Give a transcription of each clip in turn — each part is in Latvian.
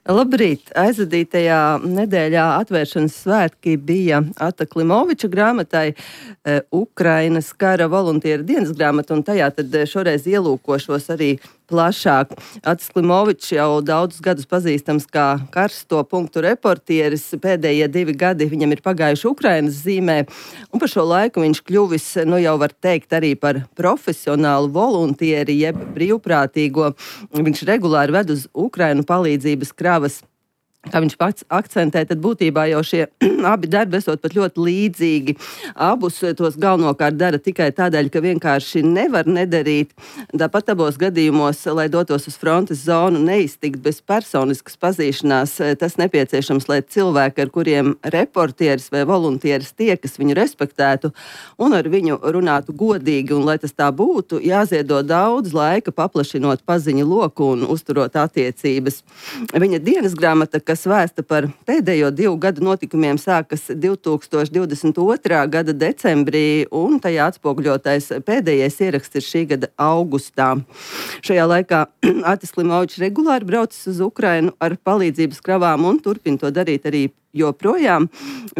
Labrīt! Aizvadītajā nedēļā atvēršanas svētki bija Ata Klimoviča grāmatai Ukrainas kara voluntiera dienas grāmata, un tajā tad šoreiz ielūkošos arī plašāk. Atis Klimovičs jau daudzus gadus pazīstams kā karsto punktu reportieris. Pēdējie 2 gadi viņam ir pagājuši Ukrainas zīmē, un par šo laiku viņš kļuvis, jau var teikt, arī par profesionālu voluntieri, jeb brīvprātīgo. Viņš regulāri ved uz Ukrainu palīdzības kravas. Kā viņš pats akcentē, tad būtībā jau šie abi darbi esot pat ļoti līdzīgi. Abus tos galvenokārt dara tikai tādēļ, ka vienkārši nevar nedarīt. Tāpat abos gadījumos, lai dotos uz frontes zonu, neiztikt bez personiskas pazīšanās. Tas nepieciešams, lai cilvēki, ar kuriem reportieris vai voluntieris tiekas, viņu respektētu un ar viņu runātu godīgi. Un, lai tas tā būtu, jāziedo daudz laika, paplašinot paziņu loku un uzturot attiecības. Viņa dienas grāmata, kas vēsta par pēdējo 2 gadu notikumiem, sākas 2022. Gada decembrī, un tajā atspoguļotais pēdējais ieraksts ir šī gada augustā. Šajā laikā Atis Klimovičs regulāri braucis uz Ukrainu ar palīdzības kravām un turpina to darīt arī joprojām.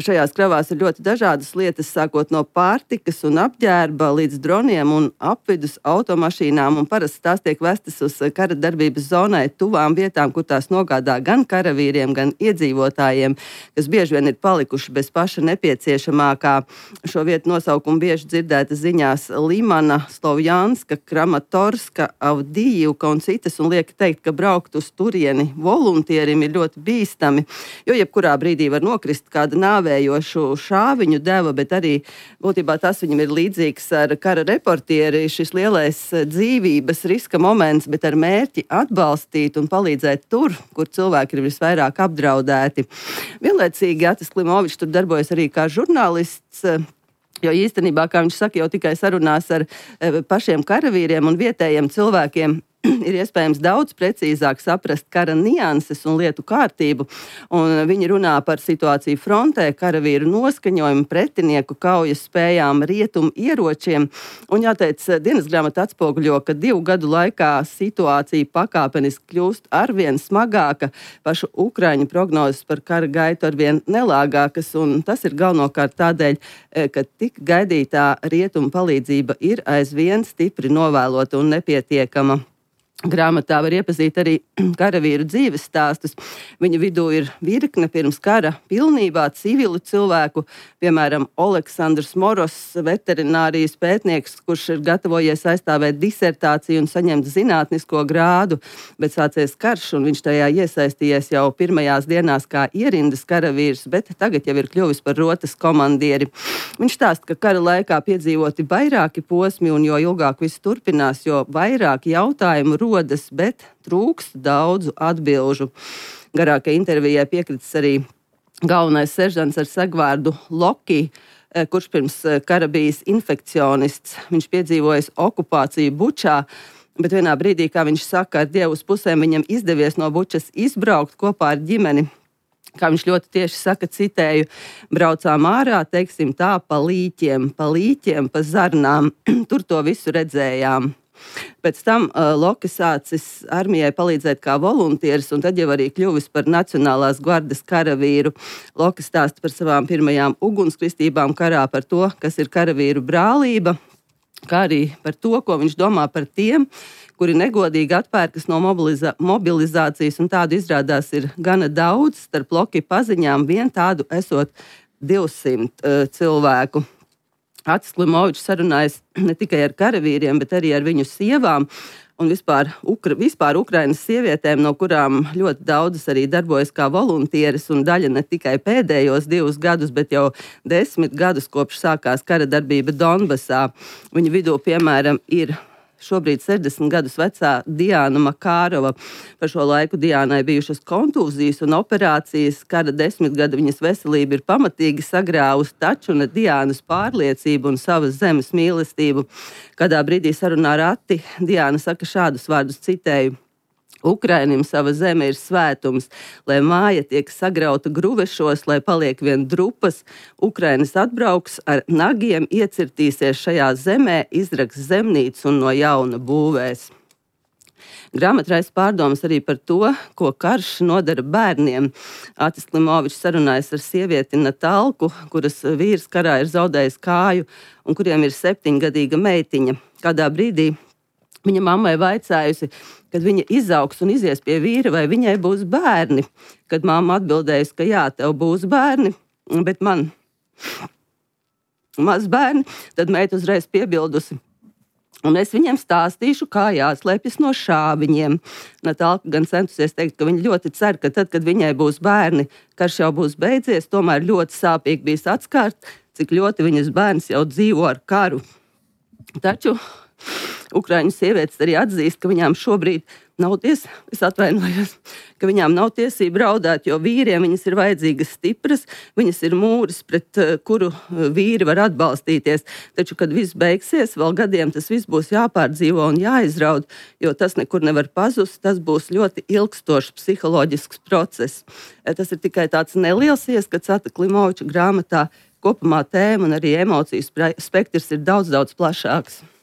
Šajās kravās ir ļoti dažādas lietas, sākot no pārtikas un apģērba līdz droniem un apvidus automašīnām, un parasti tās tiek vestas uz kara darbības zonai tuvām vietām, kur tās nogādā gan karavīriem, gan iedzīvotājiem, kas bieži vien ir palikuši bez paša nepieciešamākā. Šo vietu nosaukumu bieži dzirdēta ziņās Limana, Slovjanska, Kramatorska, Avdijivka un citas, un liek teikt, ka braukt uz turieni voluntierim ir ļoti bīstami, jo jebkurā brīdī var nokrist kāda nāvējošu šāviņu deva, bet arī būtībā tas viņam ir līdzīgs ar kara reportieri, šis lielais dzīvības riska moments, bet ar mērķi atbalstīt un palīdzēt tur, kur cilvēki ir visvairāk apdraudēti. Vienlaicīgi Atis Klimovičs tur darbojas arī kā žurnālists, jo īstenībā, kā viņš saka, jau tikai sarunās ar pašiem karavīriem un vietējiem cilvēkiem ir iespējams daudz precīzāk saprast kara nianses un lietu kārtību, un viņi runā par situāciju frontē, karavīru noskaņojumu, pretinieku kaujas spējām, rietumu ieročiem, un jāteic, dienas grāmata atspoguļo, ka 2 gadu laikā situācija pakāpeniski kļūst arvien smagāka, pašu Ukraiņu prognozes par kara gaitu arvien nelāgākas, un tas ir galvenokārt tādēļ, ka tik gaidītā rietumu palīdzība ir aizvien stipri novēlota un nepietiekama. Grāmatā var iepazīt arī karavīru dzīves stāstus. Viņa vidū ir virkne pirms kara pilnībā civilu cilvēku, piemēram, Oleksandrs Moros, veterinārijas pētnieks, kurš ir gatavojies aizstāvēt disertāciju un saņemt zinātnisko grādu, bet sācies karš, un viņš tajā iesaistījies jau pirmajās dienās kā ierindas karavīrs, bet tagad jau ir kļuvis par rotas komandieri. Viņš stāsta, ka kara laikā piedzīvoti vairāki posmi, un jo ilgāk viss turpinās, jo vairāk jautājumu rodas, bet trūkst daudzu atbilžu. Garākai intervijai piekritis arī galvenais seržants ar segvārdu Loki, kurš pirms kara bijis infekcionists. Viņš piedzīvojis okupāciju Bučā, bet vienā brīdī, kā viņš saka, ar Dievu uz pusēm viņam izdevies no Bučas izbraukt kopā ar ģimeni. Kā viņš ļoti tieši saka, citēju, braucām ārā, teiksim tā, pa līķiem, pa zarnām. Tur to visu redzējām. Pēc tam Loki sācis armijai palīdzēt kā voluntieris, un tad jau arī kļuvis par Nacionālās gvardes karavīru. Loki stāsta par savām pirmajām ugunskristībām karā, par to, kas ir karavīru brālība, kā arī par to, ko viņš domā par tiem, kuri negodīgi atpērkas no mobilizācijas, un tādu izrādās ir gana daudz. Starp Loki paziņām vien tādu esot 200 cilvēku. Atis Klimovičs sarunājas ne tikai ar karavīriem, bet arī ar viņu sievām un vispār Ukrainas sievietēm, no kurām ļoti daudzas arī darbojas kā voluntieris, un daļa ne tikai pēdējos 2 gadus, bet jau 10 gadus kopš sākās kara darbība Donbasā. Viņa vidū, piemēram, ir šobrīd 60 gadus vecā Diana Makārova. Par šo laiku Diānai bijušas kontūzijas un operācijas. Kara 10 gadu viņas veselība ir pamatīgi sagrāvusi, taču ne Diānas pārliecību un savas zemes mīlestību. Kādā brīdī sarunā ar Ati Diāna saka šādus vārdus, citēju: Ukrainim sava zeme ir svētums, lai māja tiek sagrauta gruvešos, lai paliek vien drupas. Ukrainas atbrauks ar nagiem, iecirtīsies šajā zemē, izraks zemnīcu un no jauna būvēs. Grāmata raisa pārdomas arī par to, ko karš nodara bērniem. Atis Klimovičs sarunājas ar sievieti Natalku, kuras vīrs karā ir zaudējis kāju un kuriem ir 7-gadīga meitiņa. Kādā brīdī viņa mammai vaicājusi, kad viņa izaugs un izies pie vīra, vai viņai būs bērni. Kad mamma atbildējusi, ka jā, tev būs bērni, bet man maz bērni, tad meita uzreiz piebildusi. Un es viņiem stāstīšu, kā jāslēpjas no šāviņiem. Natalka gan centusies teikt, ka viņa ļoti cer, ka tad, kad viņai būs bērni, karš jau būs beidzies, tomēr ļoti sāpīgi bijis atskārt, cik ļoti viņas bērns jau dzīvo ar karu. Taču Ukraiņu sievietes arī atzīst, ka viņām šobrīd nav tiesība raudāt, jo vīriem viņas ir vajadzīgas stipras, viņas ir mūris, pret kuru vīri var atbalstīties. Taču, kad viss beigsies, vēl gadiem tas viss būs jāpārdzīvo un jāizraud, jo tas nekur nevar pazust, tas būs ļoti ilgstošs psiholoģisks process. Tas ir tikai tāds neliels ieskats Ata Klimoviča grāmatā. Kopumā tēma un arī emociju spektrs ir daudz plašāks.